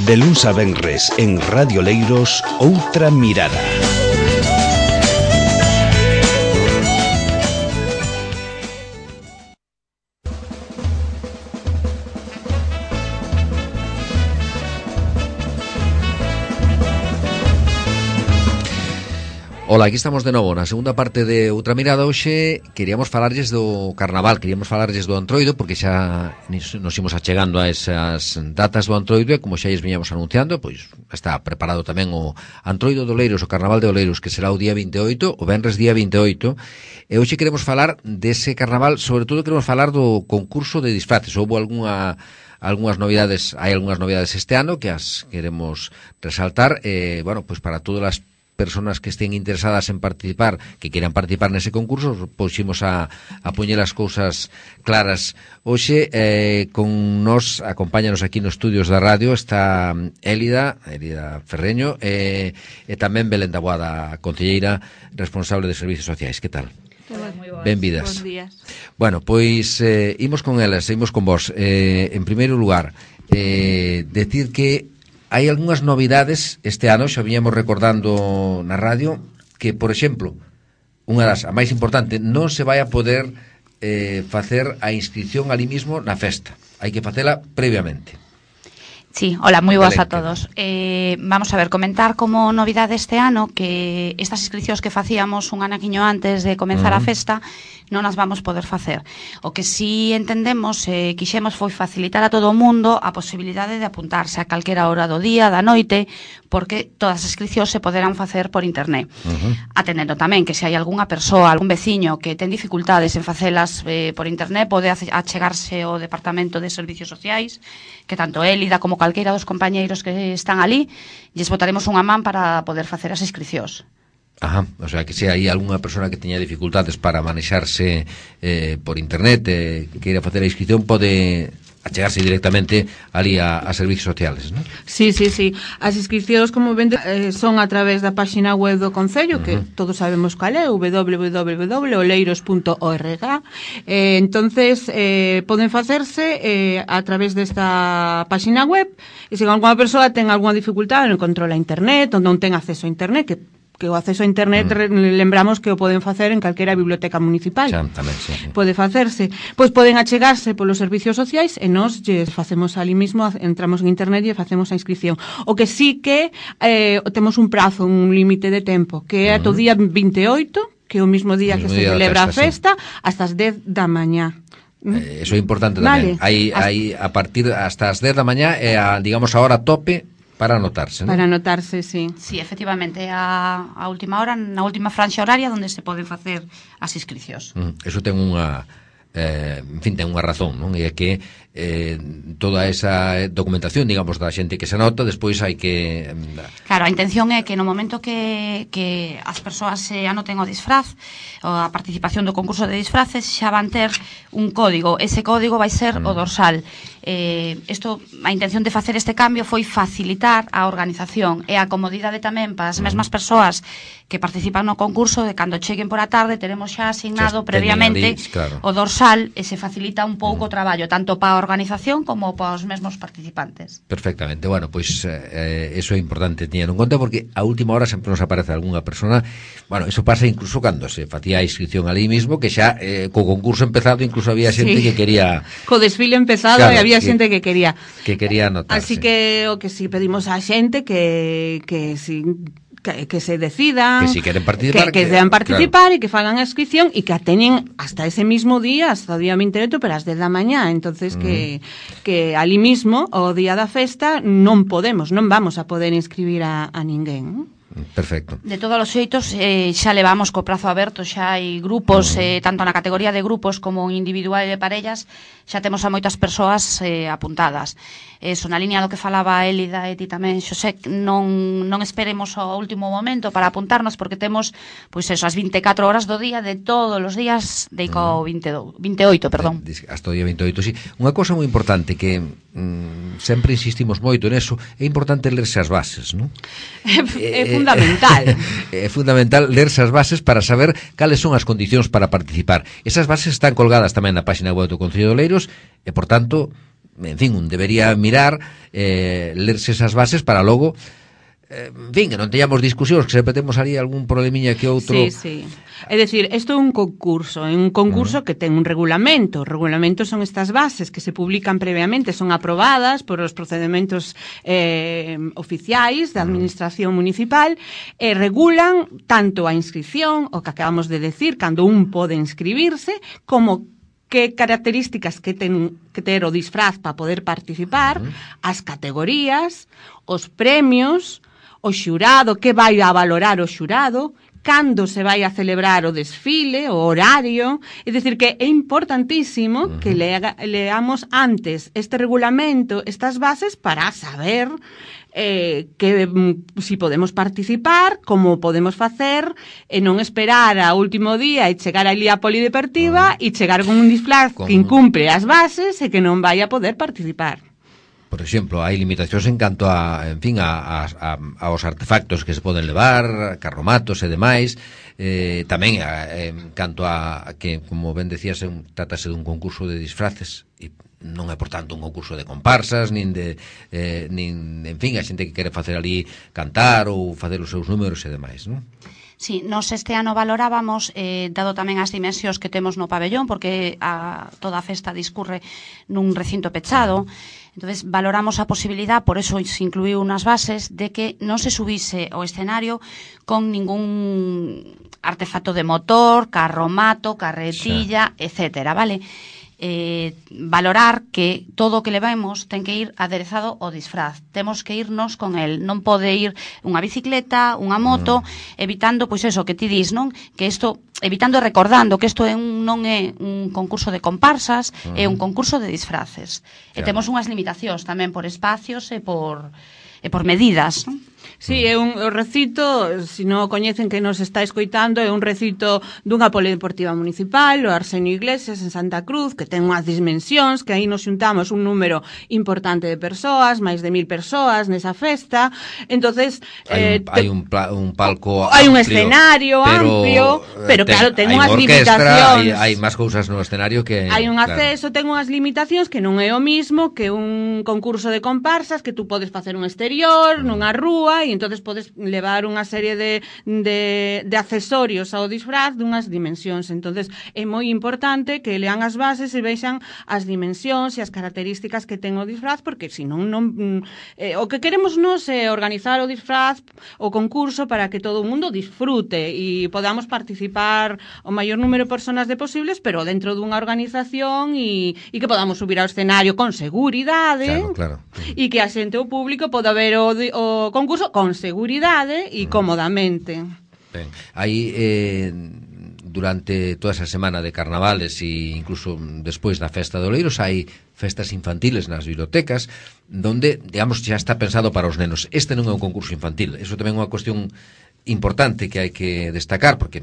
De luns a venres en Radio Leiros, Outra Mirada. Ola, aquí estamos de novo na segunda parte de Outra Mirada. Hoxe queríamos falarlles do Carnaval, queríamos falarlles do Antroido, porque xa nos imos achegando a esas datas do Antroido, e como xa lles viñamos anunciando, pois está preparado tamén o Antroido de Oleiros, o Carnaval de Oleiros, que será o día 28, o venres día 28, e hoxe queremos falar dese Carnaval, sobre todo queremos falar do concurso de disfraces. Houbo algunhas novidades, hai algunhas novidades este ano que as queremos resaltar, bueno, pois para todas as personas que estén interesadas en participar, que quieran participar nese concurso, poximos a poñer as cousas claras. Hoxe, con nos, acompáñanos aquí nos estudios da radio, está Élida Ferreño, e tamén Belén da Boada, concelleira responsable de Servicios Sociais. Que tal? Benvidas. Bons días. Bueno, pois imos con elas, imos con vos. En primeiro lugar, decir que hai algunhas novidades este ano, xa viñamos recordando na radio, que, por exemplo, unha das, a máis importante, non se vai a poder facer a inscripción ali mismo na festa. Hai que facela previamente. Sí, hola, moi boas a todos. Vamos a ver, comentar como novidade este ano que estas inscripcións que facíamos un anaquiño antes de comenzar a festa non as vamos poder facer. O que si entendemos, quixemos foi facilitar a todo o mundo a posibilidade de apuntarse a calquera hora do día, da noite, porque todas as inscripcións se poderán facer por internet. Atendendo tamén que se hai algunha persoa, algún veciño que ten dificultades en facelas por internet, pode achegarse ao Departamento de Servicios Sociais, que tanto Élida como calqueira dos compañeiros que están ali, lles botaremos unha man para poder facer as inscripcións. Ajá, o sea, que se hai algunha persona que teña dificultades para manexarse por internet, que queira facer a inscripción, pode achegarse directamente ali a Servicios Sociales, non? Sí. As inscripcións, como ven, son a través da páxina web do Concello, que todos sabemos cal é, www.oleiros.org. Entonces, poden facerse a través desta páxina web, e se alguna persoa ten algunha dificultade, non controla internet, ou non ten acceso a internet, que o acceso a internet lembramos que o poden facer en calquera biblioteca municipal. Xa, tamén, sí. Pode facerse. Pois poden achegarse polos servicios sociais e nós lles facemos ali mismo, entramos en internet e facemos a inscripción. O que sí que temos un prazo, un límite de tempo, que é ata o día 28, que é o mismo día que se celebra a festa, hasta as 10 da mañá. Eso é importante tamén. Vale. Hai a partir hasta as 10 da mañá é a, digamos, a hora tope para anotarse, ¿no? Para anotarse, sí. Sí, efectivamente, a última hora, na última franxa horaria onde se poden facer as inscripcións. Eso ten unha en fin, ten unha razón, non? E é que toda esa documentación, digamos, da xente que se anota, despois hai que... Claro, a intención é que no momento que as persoas se anoten o disfraz, ou a participación do concurso de disfraces, xa van ter un código. Ese código vai ser o dorsal. A intención de facer este cambio foi facilitar a organización e a comodidade tamén para as mesmas persoas que participan no concurso, de cando cheguen por a tarde teremos xa asignado previamente o dorsal, e se facilita un pouco o traballo, tanto para a organización como para os mesmos participantes. Perfectamente, bueno, pois eso é importante teñer en conta, porque a última hora sempre nos aparece algunha persona. Bueno, eso pasa incluso cando se facía a inscripción ali mismo, que xa co concurso empezado incluso había xente que quería... Co desfile empezado, claro, e había xente que quería anotarse. Así que o que si pedimos a xente que se decidan, que si queren participar, que deban participar, claro, e que fagan a inscripción e que a teñen hasta ese mismo día, hasta o día 28, pero as 10 da mañá. Entonces que ali mismo, o día da festa, non vamos a poder inscribir a ninguén. Perfecto. De todos os xeitos, xa levamos co prazo aberto, xa hai grupos, tanto na categoría de grupos como individual e de parellas, xa temos a moitas persoas apuntadas. Eso, na línea do que falaba Élida e ti tamén, Xosé, non esperemos ao último momento para apuntarnos, porque temos, pois eso, as 24 horas do día de todos os días de co 28, perdón. Hasta o día 28, sí. Unha cousa moi importante que sempre insistimos moito neso, é importante lerse as bases, non? É fundamental. É fundamental lerse as bases para saber cales son as condicións para participar. Esas bases están colgadas tamén na páxina web do Concello de Oleiros e, por tanto, en fin, un debería mirar, lerse esas bases para logo, en fin, que non teñamos discusións, que sempre temos ali algún problemiña que outro. Sí, sí. É dicir, isto é un concurso que ten un regulamento. Os regulamentos son estas bases que se publican previamente, son aprobadas por os procedementos oficiais da administración municipal e regulan tanto a inscripción, o que acabamos de decir, cando un pode inscribirse, como que características que ten que ter o disfraz para poder participar, as categorías, os premios, o xurado, que vai a valorar o xurado, cando se vai a celebrar o desfile, o horario. É dicir, que é importantísimo que leamos antes este regulamento, estas bases, para saber si podemos participar, como podemos facer, e non esperar ao último día e chegar ali á polideportiva e chegar con un disfraz que incumpre as bases e que non vai a poder participar. Por exemplo, hai limitacións en canto a, en fin, aos artefactos que se poden levar, carromatos e demais, tamén en canto a que, como ben decías, trátase dun concurso de disfraces e non é, por tanto, un concurso de comparsas, nin, en fin, a xente que quere facer ali cantar ou facer os seus números e demais, non? Sí, nos este ano valorábamos, dado tamén as dimensións que temos no pabellón, porque toda a festa discurre nun recinto pechado. Entonces valoramos a posibilidad, por eso se incluiu unas bases, de que non se subise ao escenario con ningún artefacto de motor, carromato, carretilla, etcétera, vale? Valorar que todo o que levemos ten que ir aderezado ao disfraz, temos que irnos con el, non pode ir unha bicicleta, unha moto, evitando, pois eso que ti dis, non? Que isto, evitando e recordando que isto non é un concurso de comparsas, é un concurso de disfraces. E temos unhas limitacións tamén por espacios e por medidas, non? Sí, é un recito, se non o coñecen que nos está escoitando, é un recito dunha polideportiva municipal, o Arsenio Iglesias, en Santa Cruz, que ten unhas dimensións, que aí nos xuntamos un número importante de persoas, máis de 1000 persoas nesa festa. Entonces hai un palco hai un escenario amplio, pero claro, ten unhas limitacións. Hai máis cousas no escenario que hai un acceso, ten unhas limitacións que non é o mismo que un concurso de comparsas, que tú podes facer un exterior, nunha rúa, e entonces podes levar unha serie de accesorios ao disfraz dunhas dimensións. Entonces é moi importante que lean as bases e vexan as dimensións e as características que ten o disfraz, porque senón o que queremos nos é organizar o disfraz, o concurso, para que todo o mundo disfrute e podamos participar o maior número de personas de posibles, pero dentro dunha organización e que podamos subir ao escenario con seguridade, claro. E que a xente, o público, poda ver o concurso con seguridade e cómodamente. Ben, aí durante toda esa semana de carnavales e incluso despois da festa de Oleiros hai festas infantiles nas bibliotecas donde, digamos, xa está pensado para os nenos. Este non é un concurso infantil, eso tamén é unha cuestión importante que hai que destacar, porque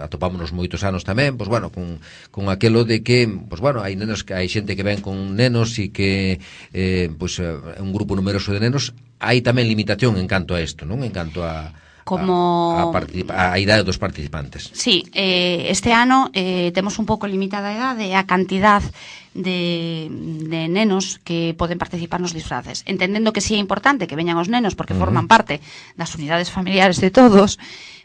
atopámonos moitos anos tamén, pois bueno, con aquelo de que, pois bueno, hai nenos, hai xente que ven con nenos e que pois un grupo numeroso de nenos, hai tamén limitación en canto a isto, non? En canto a idade dos participantes. Sí, este ano temos un pouco limitada a idade e a cantidad de nenos que poden participar nos disfraces, entendendo que sí é importante que veñan os nenos porque forman parte das unidades familiares de todos,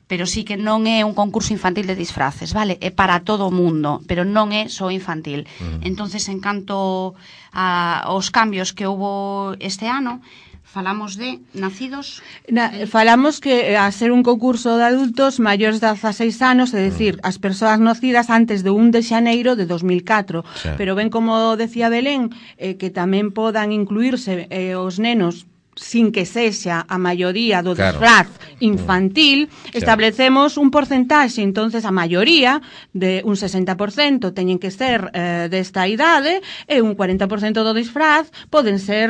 pero sí que non é un concurso infantil de disfraces, vale? É para todo o mundo, pero non é só infantil. Entonces, en canto aos cambios que houbo este ano, falamos de nacidos... Falamos que a ser un concurso de adultos maiores de 16 anos, é dicir, as persoas nacidas antes do 1 de xaneiro de 2004. Sí. Pero ben, como decía Belén, que tamén podan incluirse os nenos sin que sexa a maioría do disfraz infantil, establecemos un porcentaxe, entonces a maioría de un 60% teñen que ser desta idade e un 40% do disfraz poden ser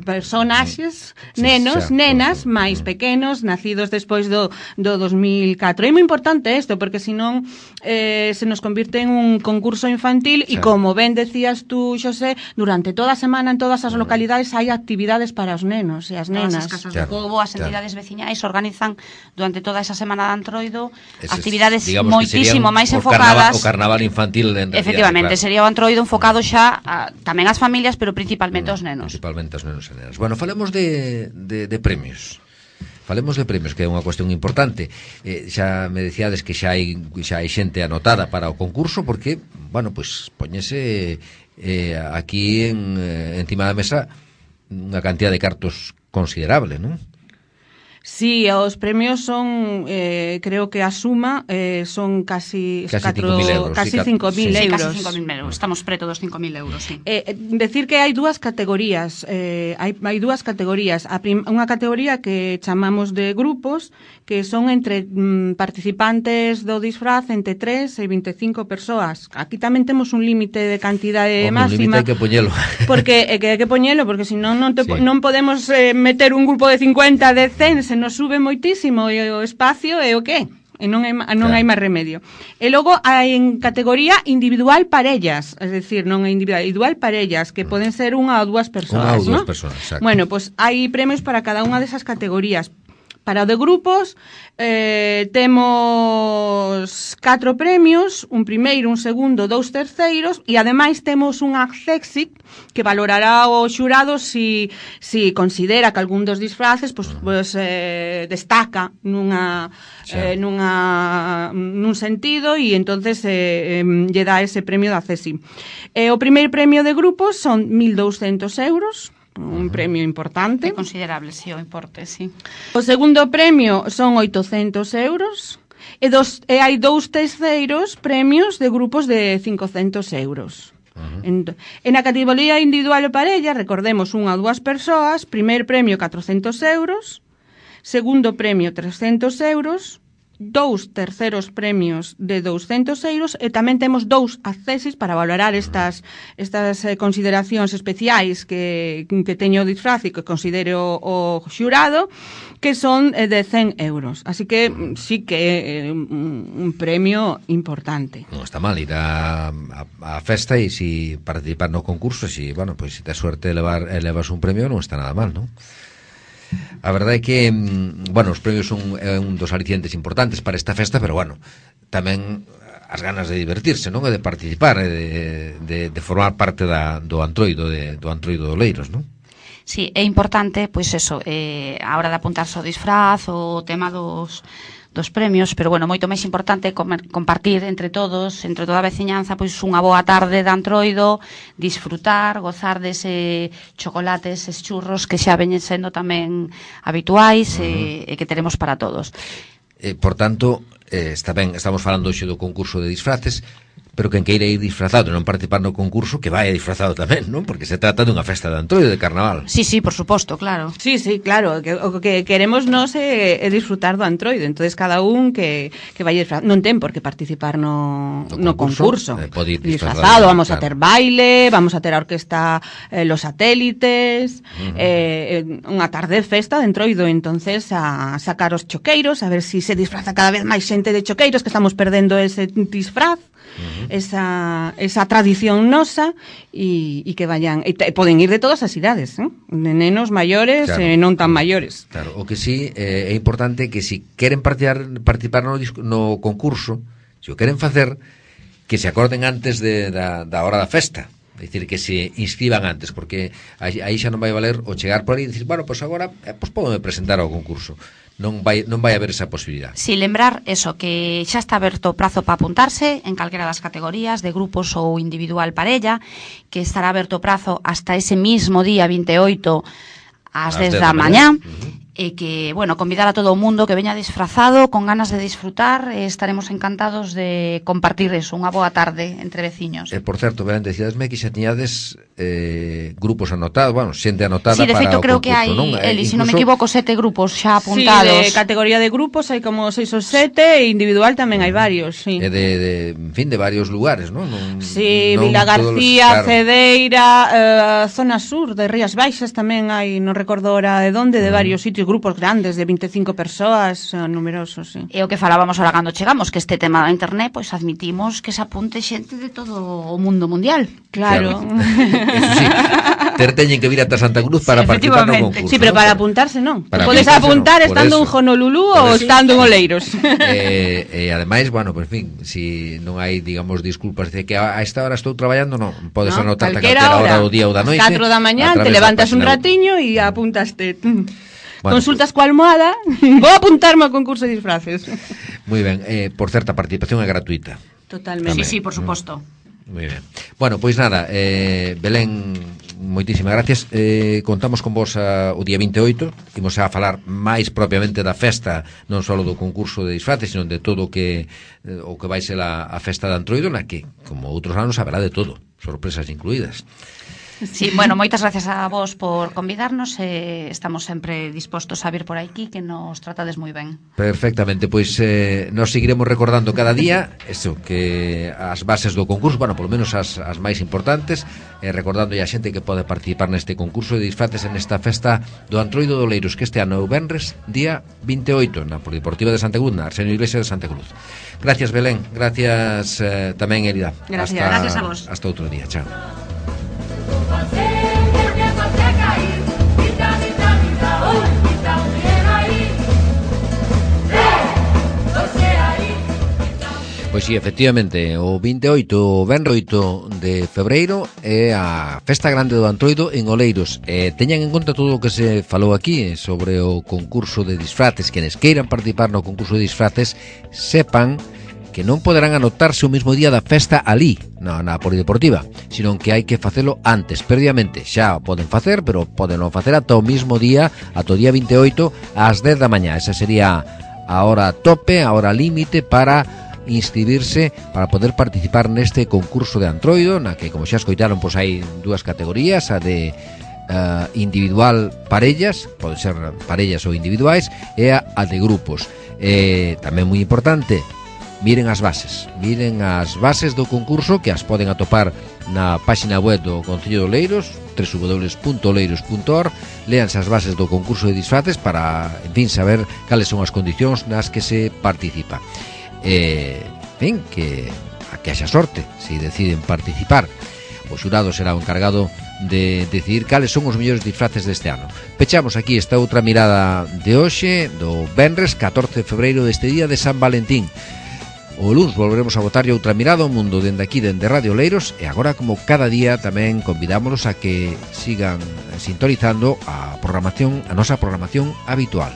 personaxes, nenos, nenas máis pequenos, nacidos despois do 2004. É moi importante isto, porque senón se nos convirte en un concurso infantil e, como ben decías tú, Xosé, durante toda a semana en todas as localidades hai actividades para os nenos. nenos e as Todas nenas. as casas do pobo, as entidades veciñais organizan durante toda esa semana de Antroido actividades moitísimo máis enfocadas. O carnaval infantil en realidad. Efectivamente, sería o Antroido enfocado xa tamén ás familias, pero principalmente aos nenos. Principalmente aos nenos e nenas. Bueno, falemos de premios. Falemos de premios, que é unha cuestión importante. Xa me decíades que xa hai xente anotada para o concurso, porque, bueno, pois poñese aquí encima da mesa unha cantidad de cartos considerable, non? Sí, os premios son, creo que a suma son casi 5.000 euros. Casi 5.000 euros. Casi 5.000 euros. Estamos preto dos 5.000 euros, sí. Decir que hai dúas categorías. Hai dúas categorías. Unha categoría que chamamos de grupos, que son entre participantes do disfraz entre 3 e 25 persoas. Aquí tamén temos un límite de cantidade máxima. Un límite hai que poñelo. Porque hai que poñelo, porque senón non podemos meter un grupo de 50, de 100, se nos sube moitísimo o espacio e o que? E non hai máis remedio. E logo hai en categoría individual parellas, es decir, non é individual parellas, que poden ser unha ou dúas persoas, unha ou ¿no? dúas persoas, exacto. Bueno, pues hai premios para cada unha desas categorías. Para o de grupos temos 4 premios, un primeiro, un segundo, 2 terceiros, e ademais temos un accésit que valorará o xurado si considera que algún dos disfraces destaca nun sentido, e entonces lle dá ese premio de accésit. O primeiro premio de grupos son 1.200 euros, un premio importante. É considerable, sí, o importe, sí. O segundo premio son 800 euros e hai 2 terceiros premios de grupos de 500 euros. En a categoría individual e parella, recordemos, unha ou dúas persoas, primeiro premio 400 euros, segundo premio 300 euros, 2 terceros premios de 200 euros e tamén temos 2 accesos para valorar estas consideracións especiais que teño o disfraz e que considere o xurado, que son de 100 euros. Así que sí que é un premio importante. Non está mal ir a festa e si participar no concurso, si tes suerte de elevas un premio, non está nada mal, non? A verdade é que, os premios son un dos alicientes importantes para esta festa, pero, tamén as ganas de divertirse, non? E de participar, de formar parte do Antroido do Oleiros, non? Sí, é importante, pois eso, a hora de apuntarse ao disfraz, o tema dos premios, pero moito máis importante compartir entre todos, entre toda a veciñanza, pois unha boa tarde de Antroido, disfrutar, gozar dese chocolate, eses churros que xa veñen sendo tamén habituais e que teremos para todos. Por tanto, está ben, estamos falando hoxe do concurso de disfraces, pero quen queira ir disfrazado e non participar no concurso, que vai disfrazado tamén, non? Porque se trata dunha festa de Antroido, de carnaval. Sí, por suposto, claro. Sí, claro, o que queremos nós é disfrutar do Antroido, entonces cada un que vai disfrazado, non ten por que participar no concurso. Pode ir disfrazado, vamos a ter baile, vamos a ter a orquesta Los Satélites, unha tarde de festa de Antroido, entonces a sacar os choqueiros, a ver si se disfraza cada vez máis xente de choqueiros, que estamos perdendo ese disfraz. Esa tradición nosa e que vayan, e poden ir de todas as idades, de nenos maiores e non tan maiores. Claro, o que sí é importante que si queren participar no concurso, se o queren facer, que se acorden antes da hora da festa. É dicir, que se inscriban antes, porque aí xa non vai valer o chegar por aí e dicir, pois agora pódome presentar ao concurso. Non vai haber esa posibilidad. Si, lembrar eso, que xa está aberto o prazo para apuntarse en calquera das categorías de grupos ou individual parella, que estará aberto o prazo hasta ese mismo día 28 ás 10 da mañá. E que, convidar a todo o mundo que veña disfrazado, con ganas de disfrutar, estaremos encantados de compartir eso, unha boa tarde entre veciños. Por certo, decíadesme que xa tiñades grupos anotados, xente anotada para o concurso, non? Sí, de feito, creo que hai, Eli, se non me equivoco, 7 grupos xa apuntados. Sí, de categoría de grupos hai como 6 ou 7, e individual tamén hai varios, sí. E de varios lugares, non? Sí, Vila García, Cedeira, zona sur de Rías Baixas tamén hai, non recordo ahora de onde, de varios sitios, grupos grandes de 25 persoas, numerosos, sí. E o que falábamos ahora cando chegamos, que este tema da internet, pois admitimos que se apunte xente de todo o mundo mundial. Claro. Eso sí, teñen que vir ata Santa Cruz para participar no concurso. Sí, pero para apuntarse non. Podes apuntar estando en Honolulu ou estando en Oleiros. E ademais, bueno, pues, en fin, si non hai, digamos, disculpas de que a esta hora estou traballando, non, podes anotar a calquera hora do día ou da noite. 4 da mañá, te levantas un ratiño e apuntaste. Bueno, consultas coa almohada. Vou apuntarme ao concurso de disfraces. Moi ben, por certa, a participación é gratuita. Totalmente. Sí, por suposto. Moi ben. Bueno, pois nada, Belén, moitísimas gracias. Contamos con vos o día 28. Imos a falar máis propiamente da festa, non só do concurso de disfraces, sino de todo o que vai ser a festa de Antroido, na que, como outros anos, haberá de todo, sorpresas incluídas. Sí, bueno, moitas gracias a vos por convidarnos, estamos sempre dispostos a vir por aquí, que nos tratades moi ben. Perfectamente, pois nos seguiremos recordando cada día eso, que as bases do concurso, bueno, polo menos as máis importantes, recordando a xente que pode participar neste concurso de disfraces en esta festa do Antroido de Oleiros, que este ano é o venres, día 28, na Polideportiva de Santa Cruz, na Arsenio Iglesia de Santa Cruz. Gracias, Belén, gracias tamén, Elida. Gracias a vos. Hasta outro día, chao. Pois sí, efectivamente, o 28, o venres 8 de febreiro é a Festa Grande do Antroido en Oleiros. Teñan en conta todo o que se falou aquí sobre o concurso de disfraces. Quenes queiran participar no concurso de disfraces sepan que non poderán anotarse o mesmo día da festa ali, na Polideportiva, sino que hai que facelo antes, previamente. Xa o poden facer, pero poden non facer ata o mesmo día, ata o día 28 ás 10 da mañá. Esa sería a hora tope, a hora límite para inscribirse, para poder participar neste concurso de Antroido, na que, como xa escoitaron, pois hai dúas categorías, a de individual parellas, pode ser parellas ou individuais, e a de grupos. Tamén moi importante, miren as bases do concurso, que as poden atopar na página web do Concello de Oleiros, www.oleiros.org. Léanse as bases do concurso de disfraces para, en fin, saber cales son as condicións nas que se participa. En fin, que haxa sorte se deciden participar. O xurado será o encargado de decidir cales son os mellores disfraces deste ano. Pechamos aquí esta outra mirada de hoxe, do venres 14 de febreiro, deste día de San Valentín. O luns volveremos a botarlle outra mirada ao mundo dende aquí, dende Radio Oleiros, e agora, como cada día, tamén convidámonos a que sigan sintonizando a nosa programación habitual.